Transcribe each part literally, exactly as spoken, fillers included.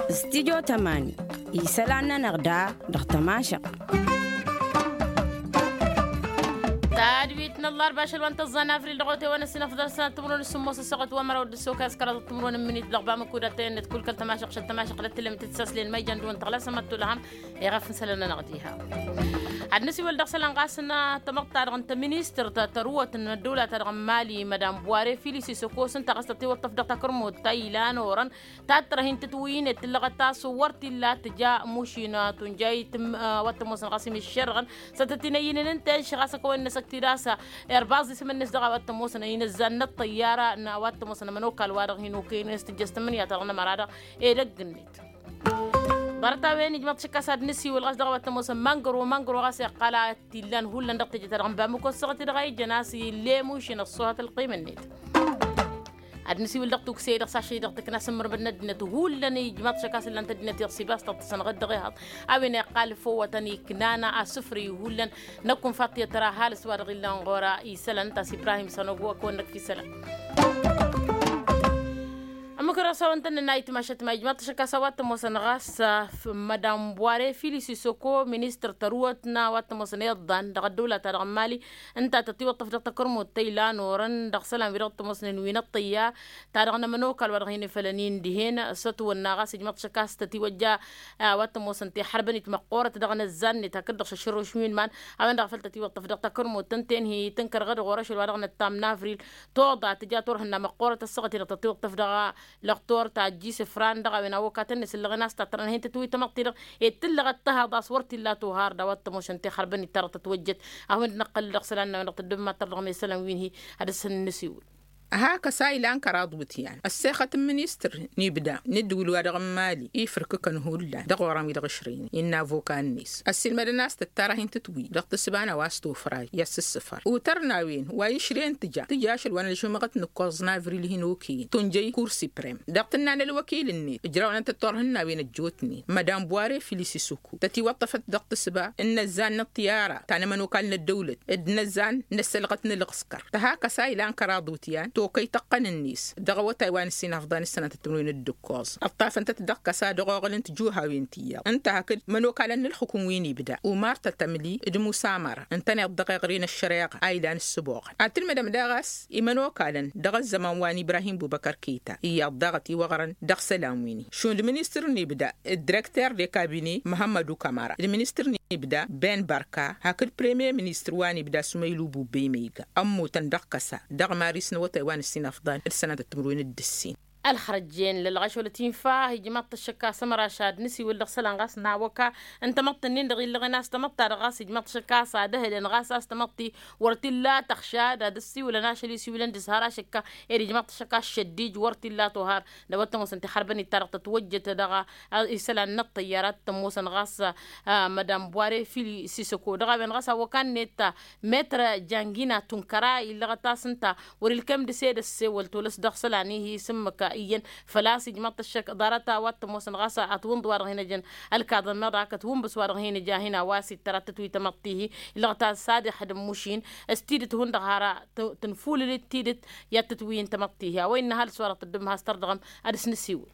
Studyo tămani isălan-nănăɣ da dăɣ-tămašăɣt. Tadwit n-ăllarba ašăl wa n-tăẓẓa n-avril dăɣ-otewăn ăssinăfḍăr sănat timǝrwen s-sǝmmos ăssoɣăt wa măraw d-ăssokaz kăraḍăt timǝrwen n-minit dăɣ-bamăkuda tăyănnet kull kăl-tămašăɣt šăl tămašăɣt lăt tǝllem tǝssăslen ma ijăn dăɣ-wăn tăɣlasăm ad-tulăhăm. Iɣăf n-isălan-nănăɣ diha ad-nǝsiwǝl dăɣ-isălan ɣas n-tamăḍt-ta-dăɣ n-tăministărt tărǝwăt n-ăddăwla-ta-dăɣ n-mali madam buware filisi s-ăkos ǝnta ɣas tătiwăṭṭăf dăɣ-takărmut ta ilan orăn. Tatrăh-in tǝtwǝynet tǝllăɣăt a-s wăr t-illa tǝja mušin tunjayt. Wa t-ămoosăn ɣas imǝššerɣăn s-tăt-tinăyyǝnen ǝnta enšăɣ a-s ăkăwăn-năsăk tidasa. Irbaẓ isǝm-net dăɣ-a wa t-ămoosăn ăynăzzan n-ăṭṭăyyara n-a wa t-ămoosăn ămănokal-wa-dăɣ hin-okăyăn s-tǝjjăs tǝmmǝnǝya-ta-dăɣ n-ămăra-dăɣ edăgg-net. Ḍarăt-a-wen ijmăḍ-t šăkk a-s ad-nǝsiwǝl ɣas dăɣ-a wa t-ămoosăn măngăro măngăro ɣas iqqal a t-illan hullan dăɣ-teje-ta-dăɣ n-bamǝko ăssaɣăt-i-dăɣ a ijăn a-s ille mušin ăṣṣuhat ălqim-net. Ad-nǝsiwǝl dăɣ-tukse-i-dăɣ s-ašăl-i-dăɣ tǝkna s-ǝmmǝrmǝd n-ăddinăt hullan ijmăḍ-t šăkk a-s ǝllan-t ăddinăt iɣsibas tăḍt-săn ɣǝddăɣ ihăḍ. A-wen iqqal făwwătăn iknana asǝfrǝy hullan năkk unfaḍ tiyyăt tăra ăhalǝs wa dăɣ-illan ɣur-isălan ǝnta a-s ibrahim sănogo ăkăwăn-năk f-isălan. Ămmǝk-dăɣ s-a-wen tăn-nănna itmašăt ma ijmăḍ-t šăkk a-s a-wa t-ămoosăn ɣas mădam buware filisi soko ministăr tărǝwăt n-a-wa t-ămoosăn iḍḍan dăɣ-ăddăwla-ta-dăɣ n-mali. Ǝnta tătiwăṭṭăf dăɣ-takărmut ta ilan orăn dăɣ-isălan wi-dăɣ t-ămoosnen wi n-ăṭṭăyya ta dăɣ-nămănokal wa dăɣ-hin-ifălăn-in dihen s-ătwănna ɣas ijmăḍ-t šăkk a-s tătiwăjja. A-wa t-ămoosăn tixărbănit măqqoorăt dăɣ-inăzzan-net hakd-dăɣ šăšrăwš wi n-iman. A-wen-dăɣ făl tătiwăṭṭăf dăɣ-takărmut ǝnta-en hi-tǝnkărăɣ-dd ɣur-ašăl wa dăɣ-năttam n-avril. Toḍa tǝja turhǝnna măqqoorăt ăssaɣăt-i-dăɣ tătiwăṭṭăf dăɣ-lăxtor ta ăjjisǝfran dăɣ-a-wen awăkatăn-net ǝllăɣen a-s tatrănhen tǝtwǝy tamăḍt-i-dăɣ ed tǝllăɣăt tăhaḍ a-s wăr t-illa tuhar d-a-wa t-ămoosăn tixărbănit ta dăɣ-tătwăjjăt. A-wen-dd năqqăl dăɣ-isălan-năwăn dăɣ-tăddǝbmat-ta-dăɣ n-isălan wi n-hi ad-dăr-săn n-nǝsiwǝl. Hak ăsa ilan kăraḍ wǝtyan ăssexăt n-ministăr n-ibda n-ǝddǝwǝl-wa-dăɣ n-mali ifrǝkǝkăn hullan dăɣ-orăn wi dăɣ-ǝšrăynen innă avoka-net ăssiilmădăn a-s tǝttarăh-in tǝtwǝy dăɣ-tǝssǝba n-a-wa s-tofray i-ăssǝssǝfăr utăr n-a-wen wa išrǝyăn tǝja tǝja ašăl wa n-ălžumăɣăt n-ǝkkoẓ n-avril hin-okăyăn tunjăy kur siprem dăɣ-tǝnna n-ălwăkil-net ǝjrawăn-tăn turhǝnnawen ăjjootnen madam buware filisi suk tătiwăṭṭăfăt dăɣ-tǝssǝba n-inăzzan n-ăṭṭiyara ta n-ămănokal n-ăddăwlăt d-inăzzan n-ăssălɣăt n-ǝlɣǝskăr. Tăhak ăsa ilan kăraḍ wǝtyan tokăy tăqqăn-net dăɣ-awătay wa n-ǝssin afḍan s-sănatăt timǝrwen d-ǝkkoẓ ǝṭṭafăn-tăt dăɣ-kăsa dăɣ-oɣǝl n-tijuhawen ti iyyăḍ ǝnta hakd mănokalăn n-ǝlxǝkǝm wi n-ibda umar tătămli d-musa măra ǝntăneḍ dăɣ-eɣre n-ăššăreɣa a ilan ǝssǝboɣăn ad-tǝlmǝdăm daɣ a-s imănokalăn dăɣ-ăzzăman wa n-ibrahim bubăkăr keta iyyăḍ daɣ ătiwăɣrăn dăɣ-isălan wi n-hi šund ministăr n-ibda d-direkter de kabine măhămmădu kamara d-ministăr n-ibda ben barka hakd premier ministăr wa n-ibda sumăylu bubbe imăyga ămmutăn dăɣ-kăsa dăɣ-maris n-awătay wa n-ǝssin afḍan d-sănatăt timǝrwen d-ǝssin. Ălxărăjjen lălɣăš wăla tinfa ijmaḍ-t ăššăk a-s ămăraš ad-nǝsiwǝl dăɣ-isălan ɣas n-awăka n-tamăḍt-nin-dăɣ illăɣen a-s tamăḍt-ta-dăɣ ɣas ijmaḍ-t ăššăk a-s ad-ăhǝlăn ɣas a-s tamăḍt-i wăr t-illa tăɣšad ad-ăssiwǝlăn ašăl isiwǝlăn dăɣ-s har ašăkka ed ijmaḍ-t ăššăk a-s šăddij wăr t-illa tuhar d-a-wa t-ămoosăn tixărbănit-ta-dăɣ tătwăjjăt dăɣ-a isălan n-ăṭṭăyyar ad-t-ămoosăn ɣas mădam buware fili sisăko dăɣ-a-wen ɣas awăkan-net. Metr jangina tunkăra illăɣăt-as ǝnta wăr-ilkem dăɣ-s ed ăssewăl tolăs dăɣ-isălan-i hi-sǝmmǝk iyyăn făl-a-s ijmăḍ-t ăššăk ḍarăt a-wa t-ămoosăn ɣas atwǝnḍ wa-dăɣ hin-ăjăn ălkaḍăn meḍa kătwǝnbǝs wa-dăɣ hin-ǝja hin-a-wa s-ittăr ad-tătwǝy tamăḍt-i-hi illăɣăt-as ad-ixdǝm mušin s-tidǝt hundăɣ har tǝnfulǝl-dd tidǝt i-ad-tǝtwǝyǝn tamăḍt-i-hi a-wa innă ăhalǝs wa-dăɣ tǝddǝm has-tărdăɣăm. Ad-dăɣ-s nǝsiwǝl.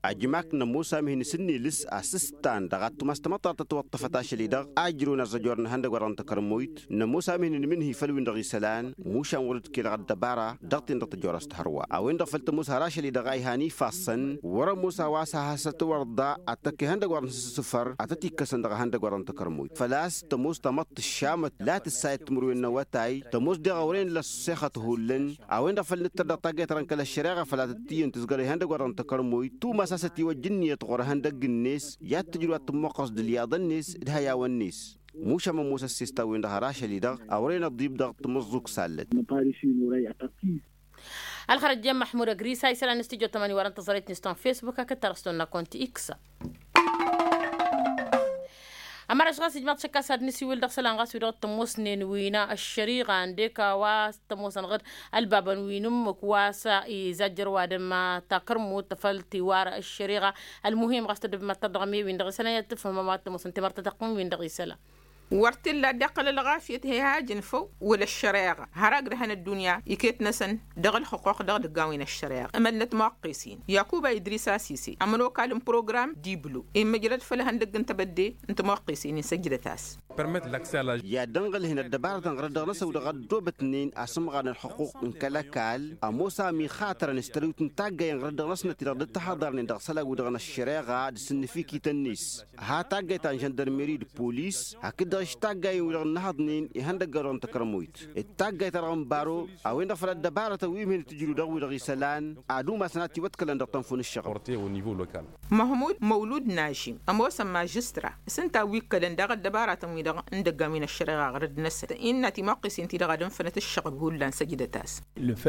Ajmak n-ămoos amhin s-ǝnnilǝs asǝstan dăɣ-ad-tumas tamăḍt ta tătwăṭṭăfăt ašăl-i-dăɣ a ǝjrǝwăn ărzăjor n-ihăndăgg wa dăɣ-n takărmoyt n-ămoos amhin n-imǝnhǝy făll-win-dăɣ isălan. Mušan wăr-dd-kăy dăɣ-ăddăb ara dăɣ-ten-dăɣ tăjorăst hărwa a-wen-dăɣ făl tămoos har ašăl-i-dăɣ a ihăn ifassăn wăr-ămoos a-wa s-ad-has-tătwărḍa ad-tăkk ihăndăgg wa dăɣ-nǝsǝssǝfăr ad-tăt-ikkăsăn dăɣ-ihăndăgg wa dăɣ-n takărmoyt făl-a-s tămoos tamăḍt tǝššamăt la tǝssayăt timǝrwen n-awătay tămoos deɣ ăwrăyăn lăssexăt hullan. A-wen-dăɣ făl nǝttăr dăɣ-taggayt-ta-dăɣ n-kăl-ăššăreɣa făl ad-tăt-iyyăn tǝzgăr ihăndăgg wa dăɣ-n takărmoyt tumas a-s ătiwăjja ǝnniyăt ɣur-ihăndăgg-net i-ad-tǝjrǝw ad-tǝmmuqqăẓ d-ǝlyaḍăn-net d-ihăyawăn-net. Mušam ămoos ăssesta-wen-dăɣ har ašăl-i-dăɣ ăwrăyăn ăḍḍib dăɣ-tamǝẓẓugt s-allăt. Ălxărăjjen măḥmud ăgris a isălan n-studyo tămani wărăn tăẓrăyt n-iston facebook hakd tarăston n-akonti x. Ămăraš ɣas ijmaḍ šăkk a-s ad-nǝsiwǝl dăɣ-isălan ɣas wi dăɣ-tămoosnen wi n-ăššăriɣa ǝndek a-wa s-tămoosăn ɣǝd ălbabăn wi n-ǝmmǝk wa s-izajjăr ăwadǝm takărmut făll-tiwar ăššăriɣa. Ălmuhim ɣas tăddǝbmăt-tăr dăɣ-mi-win-dăɣ isălan i-ad-tǝfhǝmăm ad-tămoosăn timărtătăqqǝn-win-dăɣ isălan. Wăr t-illa dd-iqqăl ălɣafyăt he-hajăn făw wăla ăššăreɣa har agdăhăn ăddunya iket-năsăn dăɣ-ălxuqquq dăɣ-idăggawen n-ăššăreɣa. Ămălnăt muqqes-in yakuba idris asise ămănokal n-program diblu immǝjrăd făll-ihăndăgg n-tebădde n-timuqqes-in-in săjdăt-as. I-ad-dd-ănɣălhen ăddăbarătăn ɣărăt dăɣ-năsăw-dăɣ ăddoobătnen asǝmɣar n-ălxuqquq n-kăl-ăkall ămoos a mixatărăn s-tărǝwt n-taggayen ɣărăt dăɣ-năsnăt-i-dăɣ dd-ăttăhaḍărnen dăɣ-isălan-wi-dăɣ n-ăššăreɣa d-sǝnnǝfikităn-net. Ha taggayt ta n-žăndărmeri d-polis hakd-dăɣ s-taggayen-wi-dăɣ ǝnnăhăḍnen ihăndăgg-a-wa dăɣ-n tăkrămoyt d-taggayt-ta-dăɣ n-baro. A-wen-dăɣ făll-ăddăbarătăn wi mihǝn tǝjrǝw dăɣ-wi-dăɣ isălan ad-umasăn ad-tiwăḍkălăn dăɣ-tănfun ǝššăɣǝl. Măhmud măwlud nažim ămoosăn mažistra s-ǝnta a wi ǝkkălăn daɣ ăddăbaratăn-wi-dăɣ n-idăggan wi n-ăššăreɣa ɣărăt-năsăn innă timuqqes-in-ti-dăɣ ad-ǝnfănăt ǝššăɣb hullan săjdăt-as.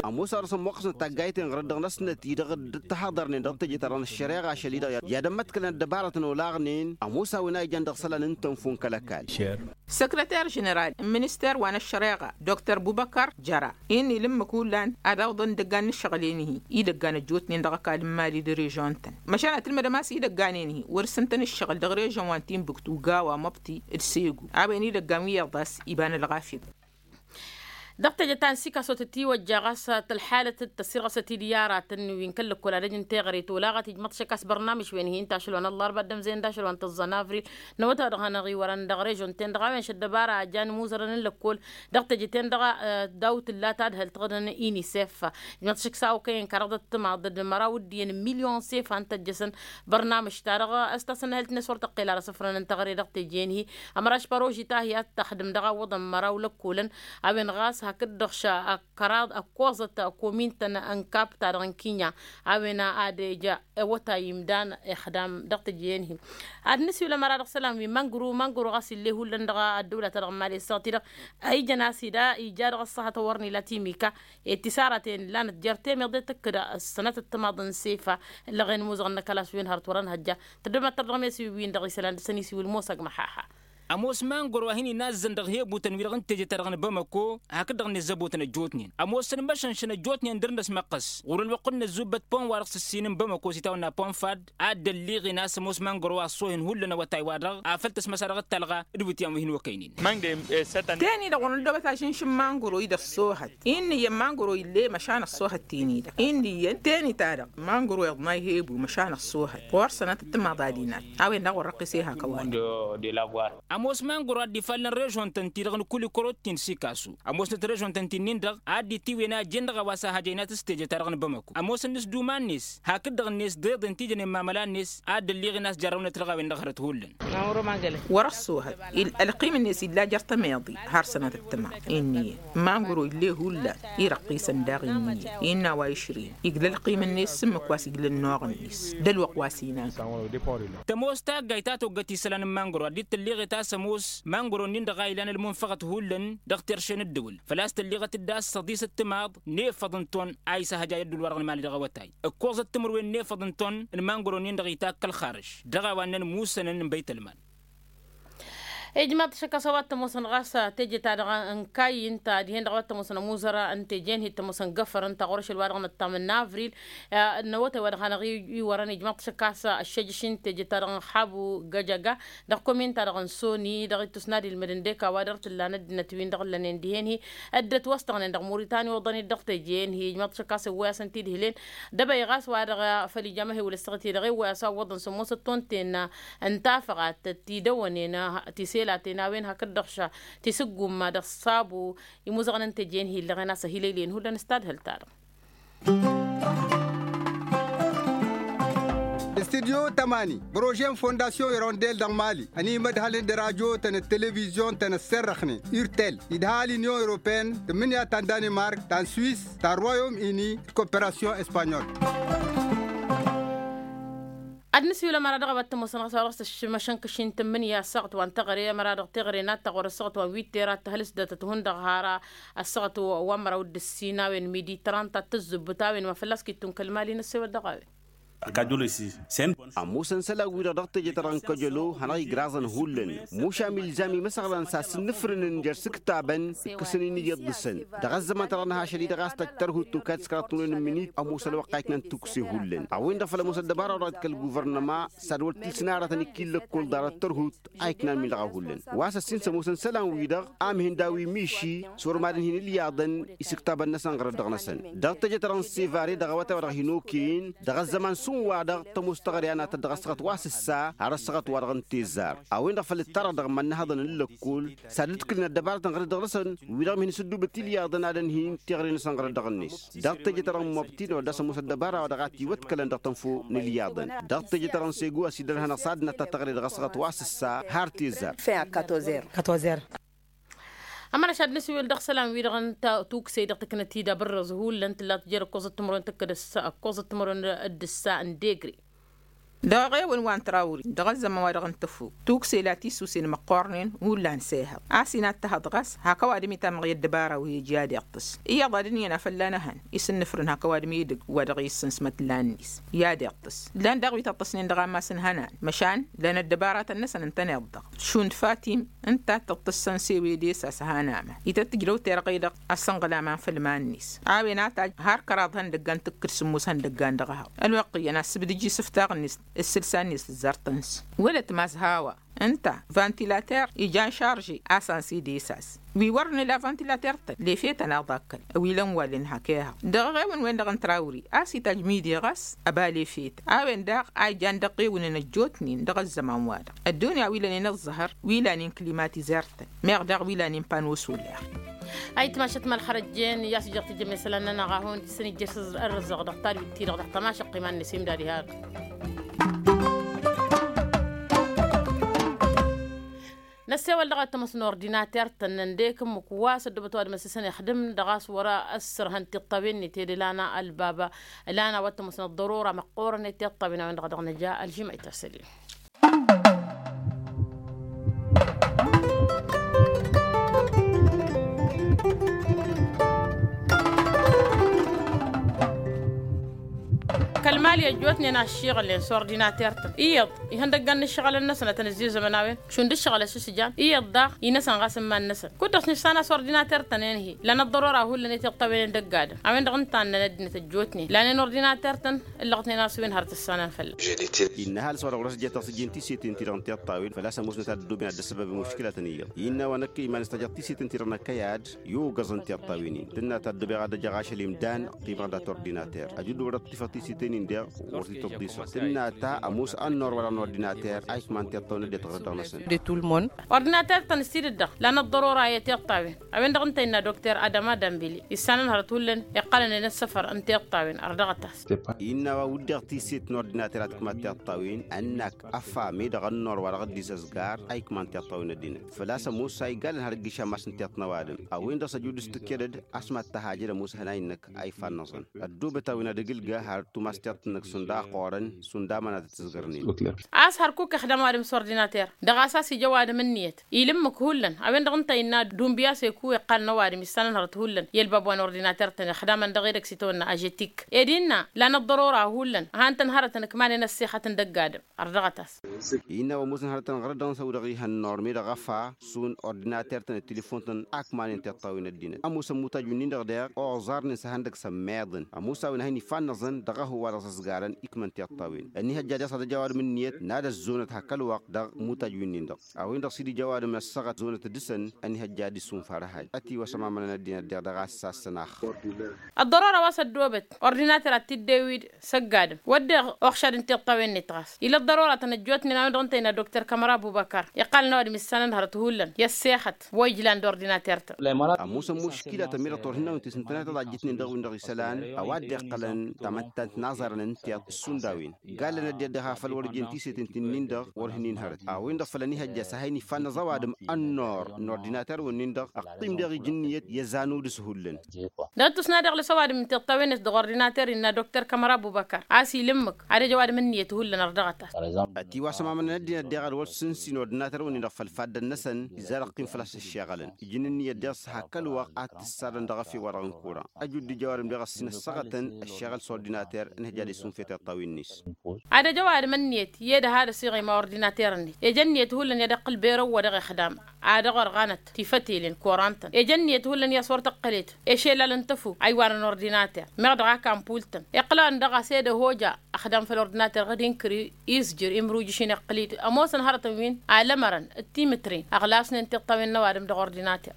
Ămoos a dăɣ-săn muqqăsnăt taggayten ɣărăt dăɣ-năsnăt-i-dăɣ dd-ăttăhaḍărnen dăɣ-teje-ta-dăɣ n-ăššăreɣa ašăl-i-dăɣ i-ad-ămmăḍkălăn ăddăbaratăn olaɣnen ămoos a-wen a ijan dăɣ-isălan n-tănfun kăl-ăkall. Săkrăter ženeral n-minister wa n-ăššăreɣa dr bubăkăr jăra innă ila ǝmmǝk hullan ad-awǝḍăn idăggan n-ǝššăɣǝl-en-hi idăggan ăjjootnen dăɣ-ăkall n-imali d-režon-tăn măšan ad-tǝlmădăm a-s idăggan-en-hi wăr-sǝntăn ǝššăɣǝl dăɣ-režon wa n-tinbǝktu gawa măbti d-segu a-wen idăggan wi iyyăḍ a-s iba n-ălɣafyăt. Dăɣ-teje ta n-sikaso tătiwăjja ɣas tălxalăt d-tăssirɣăsăt-dd i-aratăn wi n-kăl-lăkkol ad-ăj n-teɣăre tolaɣăt ijmăḍ-t šăkkas bărnamǝš wen-hi ǝnta ašăl wa n-ăllarba ăddămzăyăn d-ašăl wa n-tǝẓẓăn avril n-awătay wa dăɣ-hanăɣ-iwărăn dăɣ-režon-ten-dăɣ a-wen šăddăbara a jan imuzărăn n-lăkkol dăɣ-teje-ten-dăɣ. Daw-tǝlla tadhălt ɣǝdăn inisef ijmăḍ-t šăkk s-a okăyăn kăraḍăt timaḍ d-măraw d-iyyăn milyon sefan tăjjăsăn bărnamǝš-ta-dăɣ s-tasănnăhălt-net wăr tăqqel ara s-ǝfrăn n-teɣăre dăɣ-teje-en-hi. Ămăraš paroži ta hi-ad-taxdǝm dăɣ-a ǝwwăḍăn măraw lăkkolăn a-wen ɣas hakd-dăɣ ăkkoẓăt komin-tăn n-kapta-dăɣ n-kinya a-wen ad-ija awătay imdan ixdam dăɣ-teje-en-hi. Ad-nǝsiwǝl ămăra dăɣ-isălan wi mangru mangru ɣas ill'-e hullan dăɣ-ăddăwla-ta-dăɣ n-imali ăssaɣăt-i-dăɣ a ijăn a-s ida ija dăɣ-ăṣṣăhăt a wăr n-ila timika. I-tisaraten lanăt jer-temeḍe tǝkkǝd ăssanăt ăttămaḍ n-sefa ǝllăɣen imuzăɣăn n-akălas wi n-hărăt wăr-ănhăjja. Tăddămăttăr dăɣ-mesi wi-win-dăɣ isălan dăɣ-săn isiwǝl mosa g-măhaha. Ămoos mangoro a hin-inazzăn dăɣ-hebutăn-wi-dăɣ n-teje-ta-dăɣ n-bamako hakd-dăɣ-net zăbotăn ăjjootnen ămoosăn măšănšăn ăjjootnen dăr-năsmăqqăs ɣur-ălwăqq n-inăzzubăt pon-wa-dăɣ s-ǝssin n-bamako s-itawănna pon fad. Ad-dd-ălliɣen a-s ămoos mangoro a ăṣṣohen hullan awătay-wa-dăɣ a făl tăsmăsa dăɣ-ăttalɣa d-iwǝtyan wi hin-okăynen. Teni-dăɣ wăr năddobăt ažǝnš n-mangoro-i d-ăṣṣohăt. Innă iyyăn mangoro ill'-e măšan ăṣṣohăt teni-dăɣ innă iyyăn teni-ta-dăɣ mangoro iḍnay hebu măšan ăṣṣohăt ɣur-sănătăt timaḍ ad-inat. A-wen-dăɣ wăr-răqqis ehăkăwăn. Ămoos mangoro a dd-ifallăn režon-tăn-ti-dăɣ n-kulikorot-tin sikasu ămoosnăt režon-tăn-ti-nin-dăɣ a dd-itiwen a jen-dăɣ a-wa s-ahăjăynat s-teje-ta-dăɣ n-bamăko ămoosăn s-duman-net hakd-dăɣ-net deḍen ti jănen mamăla-net. A dd-ălliɣen a-s jarrăwnăt dăɣ-a-wen-dăɣ hărăt hullan. Wăr-ăṣṣoohăt ălqim-net illa jer-tămeḍi har sănatăt tămaḍ. Innă iyyăn mangro ill'-e hullan irăqqisăn daɣ innă iyyăn innă a-wa išrin igla ălqim-net s-ǝmmǝk wa s-igla ănnuɣ-net d-ălwăqq wa s-inan. Tămoos taggayt ta toggăt isălan n-mangro a dd-tălliɣet a-s ămoos mangro-nin-dăɣ a ilan ălmunfăɣăt hullan dăɣ-terše n-ǝddǝwǝl făl-a-s tălliɣăt-dd a-s săḍisăt timaḍ n-efăḍ n-ton a isăhăjay ădduul-wa-dăɣ n-imali dăɣ-awătay. Ǝkkoẓăt timǝrwen n-efăḍ n-ton n-mangro-nin-dăɣ itakk ălxarǝž dăɣ-a-wa ǝnnăn musănăn n-băytălman. Ijmaḍ-t šăkk a-s a-wa t-ămoosăn ɣas teje-ta-dăɣ n-kayy ǝnta dihen-dăɣ a wa t-ămoosăn ămuzăr n-teje-in hi t-ămoosăn găfăr ǝnta ɣur-ašăl wa dăɣ-nǝṭṭam n-avril. N-awătay wa dăɣ-hanăɣ-iwărăn ijmaḍ-t šăkk a-s ăššăjăš n-teje-ta-dăɣ n-habu găjăga dăɣ-komin-ta-dăɣ n-soni dăɣ-ittus n-ad-ilmǝd n-deka wa dăr-t ǝllanăt d-inătwin dăɣ-ǝllănen dihen-hi. Dd-ătwăstăɣnen dăɣ-muritani oḍăn-dd dăɣ-teje-en-hi ijmaḍ-t šăkk a-s ewwăy-asăn-t-id hilen. D-abăy ɣas wa dăɣ-făl ija amăhewǝl ăssaɣăt-i-dăɣ ewwăy-as a ǝwwăḍăn s-ămoosăt tonten n-tafăɣat tiselaten tiselaten a-wen hakd-dăɣ tisǝggumma dăɣ-sabu. Imuzăɣăn n-teje-en hi-illăɣen a-s ăhilăylen hullan s-tadhǝlt-ta-dăɣ. Studyo tămani prože n-fondasyon irondel dăɣ-mali ănimădhălăn d-radyo-tăn d-televizyon-tăn ăssărrăxnen urtel idha l-inyon europene tǝmmǝnǝya ta n-danimark ta n-swis ta n-royom ini d-koperasyon espanyol. Ad-nǝsiwǝl ămăra dăɣ-a-wa t-ămoosăn ɣas wa dăɣ-s ăššǝmăšăn kăšin tǝmmǝnǝya ăssaɣăt wa n-teɣăre ămăra dăɣ-teɣăre n-ad-tăɣ wăr-ăssaɣăt wa n-witter ad-tăhǝlǝs dăr-tăt hundăɣ har ăssaɣăt wa n-măraw d-ǝssin a-wen midi trant ad-tǝzzǝbbǝt a-wen ma fălla-s kittunkăl mali n-ăssewăt dăɣ-a-wen. Ăkajjălo-i s-e-s. Ămoosăn isălan-wi-dăɣ dăɣ-teje-ta-dăɣ n-kăjălo hanăɣ-igraẓăn hullan. Mušam ilzam imăsăɣlan s-ad-sǝnnǝfrǝnăn jer-s ǝktabăn ǝkkăsăn-in iyyăḍ dăɣ-săn dăɣ-ăzzăman-ta-dăɣ n-ahašăl-i-dăɣ a-s tăjj tărhut tokad s-kăraḍ tǝmrăwen n-imǝnit. Ămoosăn ălwăqq a iknan tukse hullan a-wen-dăɣ făl ămoos ăddăbara wa dăɣ-a t-kăl-guvărnăma s-ad-wăr t-ilsǝn aratăn ikil lăkkol ḍarăt tărhut. A iknan milăɣ a hullan wa s-ăssin s-ămoosăn isălan-wi-dăɣ. Amhin d-a-wi miši s-wăr madăn hin-ǝlyaḍăn isǝktabăn-năsăn ɣărăt dăɣ-năsăn dăɣ-teje-ta-dăɣ n-sevare dăɣ-awătay wa dăɣ-hin-okăyăn dăɣ-ăzzăman s-un-wa-dăɣ tămoos teɣăre a natăt dăɣ-ăssaɣăt wa s-ǝssa har ăssaɣăt wa dăɣ-n tezzar. A-wen-dăɣ făll-ǝttarăɣ dăɣ-iman n-ehăḍăn n-lăkkol s-ad-ǝdkǝlăn ăddăbarătăn ɣărăt dăɣ-năsăn wi-dăɣ mihăn s-ădduubăt ilyaḍăn ad-ănhǝyăn teɣăre-năsăn ɣărăt dăɣ-net. Dăɣ-teje-ta-dăɣ n-mobti n-odd a-s ămoos ăddăbara wa dăɣ-a t-iwăḍkălăn dăɣ-tănfo n-ilyaḍăn dăɣ-teje-ta-dăɣ n-segu a-s iddărhănăɣ s-ad-năta teɣăre dăɣ-ăssaɣăt wa s-ǝssa har tezzar. Fin a quatorze heures. Ămăra šad nǝswel dăɣ-isălan-wi-dăɣ n-tuksey dăɣ-tǝknăt-i d-abǝrrǝẓ hullan tǝllat jer-ǝkkoẓăt timǝrwen tǝkkăd ǝssa ǝkkoẓăt timǝrwen d-ǝssa n-degre. Dăɣ-eɣewăn wa n-trawri dăɣ-ăzzăman wa dăɣ-n tăfuk tuksey la tisusen măqqoornen hullan s-ehăḍ a-s inattăhăḍ ɣas hak ăwadǝm itamăɣ i-ăddăbara wi ija ad-iṭṭǝs iyyăḍ ad-ǝnniyăn a fălla-năhăn isǝnnǝfrǝn hak ăwadǝm edăgg wa dăɣ-i ǝssǝnsmăt lannis i-ad-iṭṭǝs. Llan daɣ wi tăṭṭăsnen dăɣ-ammas n-ihănan măšan lăn ăddăbaratăn-năsăn ǝntăneḍ-dăɣ šund fatim ǝnta a t-tăṭṭăssăn s-ewede s-a-s han aman ităt tǝjrăw terɣe-dăɣ. Ăssănɣăl aman făll-iman-net a-wen a tajj har kăraḍ ihăndăggan tǝkkǝd sǝmmos ihăndăggan dăɣ-ehăḍ ălwăqq iyyăn a ǝssǝbdǝj isǝftaɣ-net ǝssǝlsa-net tǝzzar tăns wălăt mazhawa. Ǝnta vantilater ijan šarže a-s ansi d-esas wi wăr nǝla vantilater-tăn lefetăn aḍakkăl ăwilăn wallen hak ehăḍ dăɣ-eɣewăn-wen-dăɣ n-trawri a-s itajj midi ɣas ăba lefet a-wen daɣ a ijan dăɣ-ewǝnen ăjjootnen dăɣ-ăzzăman-wa-dăɣ. Ăddunya wi lănen ăẓẓăhăr wi lanen klimatizertăn meɣ daɣ wi lanen pano soler. Ayǝtmašăt ma ălxărăjjen i-a-s ijăɣ tijămme isălan-nănăɣ a hawăn-tǝssăn ijjăš ărrăzăɣ dăɣ-tadwit-ti-dăɣ dăɣ-tamašăqqi iman-net imdad ihar. Năssewăl dăɣ-a t-ămoos n-ordinater-tăn n-ăndek ǝmmǝk wa s-ăddoobăt ăwadǝm ăssisăn ixdǝm dăɣ-a-s wăr-ăssărhăn tiṭṭawen-net ed ǝlan ălbab ǝlan a-wa t-ămoosăn ăḍḍărora măqqoorăn i-tiṭṭawen a-wen-dăɣ a dăɣ-nǝja ălžimăy ta s-ălin. Kăl-mali ăjjootnen a ǝššiɣǝlnen s-ordinater-tăn iyyăḍ ihăndăggan n-ǝššăɣǝlăn-năsăn ad-tăn-ǝzzizămăn a-wen šund ǝššăɣǝl a-s ǝšǝjan iyyăḍ daɣ-i-năsăn ɣas n-iman-năsăn kud-dăɣ s-nǝšsan a-s ordinater-tăn enhi. Lăn ăḍḍărora hullan i-tiṭṭawen n-dăgg-adǝm a-wen-dăɣ ǝnta a ǝnnăn ăddinăt ăjjootnen lanen ordinater-tăn. Ǝllăɣtnen a-s wen har tǝssanăn fălla-s. Innă ăhalǝs wa dăɣ-wăr-s ǝjjăt dăɣ-s ǝjjǝn tisetin-ti-dăɣ n-tiṭṭawen făl-a-s ămoosnăt ad-ăddooben ad-dd-ăssăbăben muškilatăn iyyăḍ innă wa năkk iman-s tăjăɣ tisetin-ti-dăɣ n-ăkkăyad. I-ogăẓăn tiṭṭawen-in tǝnna ta ăddoobeɣ ad-ăjăɣ ašăl imdan. Qimeɣ dat-ordinater ăjudduwăr dăɣ-tifăɣ tisetin-in-deɣ wăr t-tăḍḍisăɣ tǝnna ta ămoos ănnor wa dăɣ-n ordinater a ikman tiṭṭawen ăddinăt ɣur-dăɣ-năsăn. Ordinater-tăn s-tidǝt-dăɣ lan ăḍḍărora i-tiṭṭawen a-wen-dăɣ ǝnta innă dokter adăma dămbili issanăn hărăt hullan iqqălăn i-inǝssăfăr n-tiṭṭawen ărdăɣăt-as. Innă a-wa wǝddeɣ tiset n-ordinater ad-tǝkmat tiṭṭawen ănnak ăfa meddăɣ ănnor wa dăɣ-dd-isăzgar a ikman tiṭṭawen ăddinăt făl-a-s ămoos a igalăn har ǝgg išammas n-tiṭṭ n-ăwadǝm. A-wen-dăɣ s-ăjud s-tǝkked-dd a-s mad-tăhajăd ămoos hănay-nǝk a ifa ănnăẓăn ăddoobăt a-wen ad-ăgg ǝlga har tumas tiṭṭ-năk šund a ăqqoorăn šund amănatăt s-ǝzgărnen. A-s hărkuk ixdăm ăwadǝm s-ordinater dăɣ-a-s a-s ija ăwadǝm ǝnniyăt ila ǝmmǝk hullan a-wen-dăɣ ǝnta innă dumbiya s-eku iqqalăn ăwadǝm issanăn hărăt hullan i-ălbab wa n-ordinater-tăn ixdamăn dăɣ-edăgg s-itawănna ažetik ed innă lan ăḍḍărora hullan han-tăn hărătăn ǝkmanen ăssexăt n-dăgg-adǝm. Ărdăɣăt-as. Innă wa ămoosăn hărătăn ɣărăt-dăɣ n-săw-dăɣ ihăn norme dăɣ-ăfa šund ordinater-tăn d-tilifon-tăn a ǝkmanen tiṭṭawen ăddinăt ămoosăn mutaj-win-dăɣ deɣ oẓarnen s-ehăndăg s-ămmeḍăn ămoos a-wen a hin-ifannăẓăn dăɣ-ehăw wa dăɣ-s ăzgarăn ikmăn tiṭṭawen. Ănihăjja deɣ s-ad-ăj ăwadǝm ǝnniyăt n-ad-ăzzonăt hak ălwăqq dăɣ-mutaj-win-dăɣ a-wen-dăɣ s-dd-ija ăwadǝm ăssăɣăt zonăt dăɣ-săn. Ănihăjja ad-isunfar ehăy ătiwăsăm amănăn ăddinăt deɣ dăɣ-a-s sassăn axxăr. Ăḍḍărora wa s-ăddoobăt ordinater ad-t-dd-ewid s-ăgg-adǝm wădden oxšad n-tiṭṭawen-net ɣas ila ăḍḍărora tăn-ăjjootnen a-wen-dăɣ ǝnta innă dokter kămăra ăbubăkăr iqqalăn ăwadǝm issanăn hărăt hullan i-ăssexăt wa ijlan d-ordinater-tăn. Ămoosăn muškilatăn meddăɣ turhǝnnawen ti s-ǝntăneḍ ad-ăjjǝtnen dăɣ-win-dăɣ isălan ăwadǝm iqqălăn tamăttant n-aẓarăn n-tiṭṭ šund a-wen gallăn ăddinăt dăɣ-ha făl wăr-ǝjjen tisetin ti-nin-dăɣ wăr hin-inhărăt a-wen-dăɣ făl ănihăjja s-a hin-ifannăẓ ăwadǝm ănnor n-ordinater-wen-nin-dăɣ. ăṭṭim daɣ ija ǝnniyăt i-ăzanud s-hullan. Dăɣ-ǝttus n-ad-iɣlǝs ăwadǝm n-tiṭṭawen-net dăɣ-ordinater innă dokter kamăra bubăkăr a-s ila ǝmmǝk ad-ăj ăwadǝm ǝnniyăt hullan ărdăɣăt-as. Ătiwasăm amănăn ăddinăt daɣ ad-wăr sǝnsin ordinater-wăn-in-dăɣ făll-faddăn-năsăn. Izzar ăqqim fălla-s ǝššeɣălăn ija n-ǝnniyăt daɣ s-hak ălwăqq ad-t-ǝssadăn dăɣ-efew wa dăɣ-n kura. Ăjud d-ija ăwadǝm daɣ ăssin ăssăɣătăn ăššeɣăl s-ordinater ǝnhǝj ad-isunfe tiṭṭawen-net. Ad-ăj ăwadǝm ǝnniyăt i-ed ad-ăsiɣima ordinater-net ija ǝnniyăt hullan i-ad-iqqǝl berăw wa dăɣ-ixdam ad-ăɣ-ărɣanăt tifătelen korantăn ija ǝnniyăt hullan i-a-s wăr tăqqălet ešelal n-tăfuk a iwanăn ordinater meɣ dăɣ-ak ampul-tăn iqqǝl-anăn dăɣ-a-s ed ăhoja ăxdam făll-ordinater ɣǝd-inkăr izjǝr imruj išin iqqǝl-dd ămoosăn hărătăn wi n-alămărăn d-timǝtren ăɣlasnen tiṭṭawen n-ăwadǝm dăɣ-ordinater.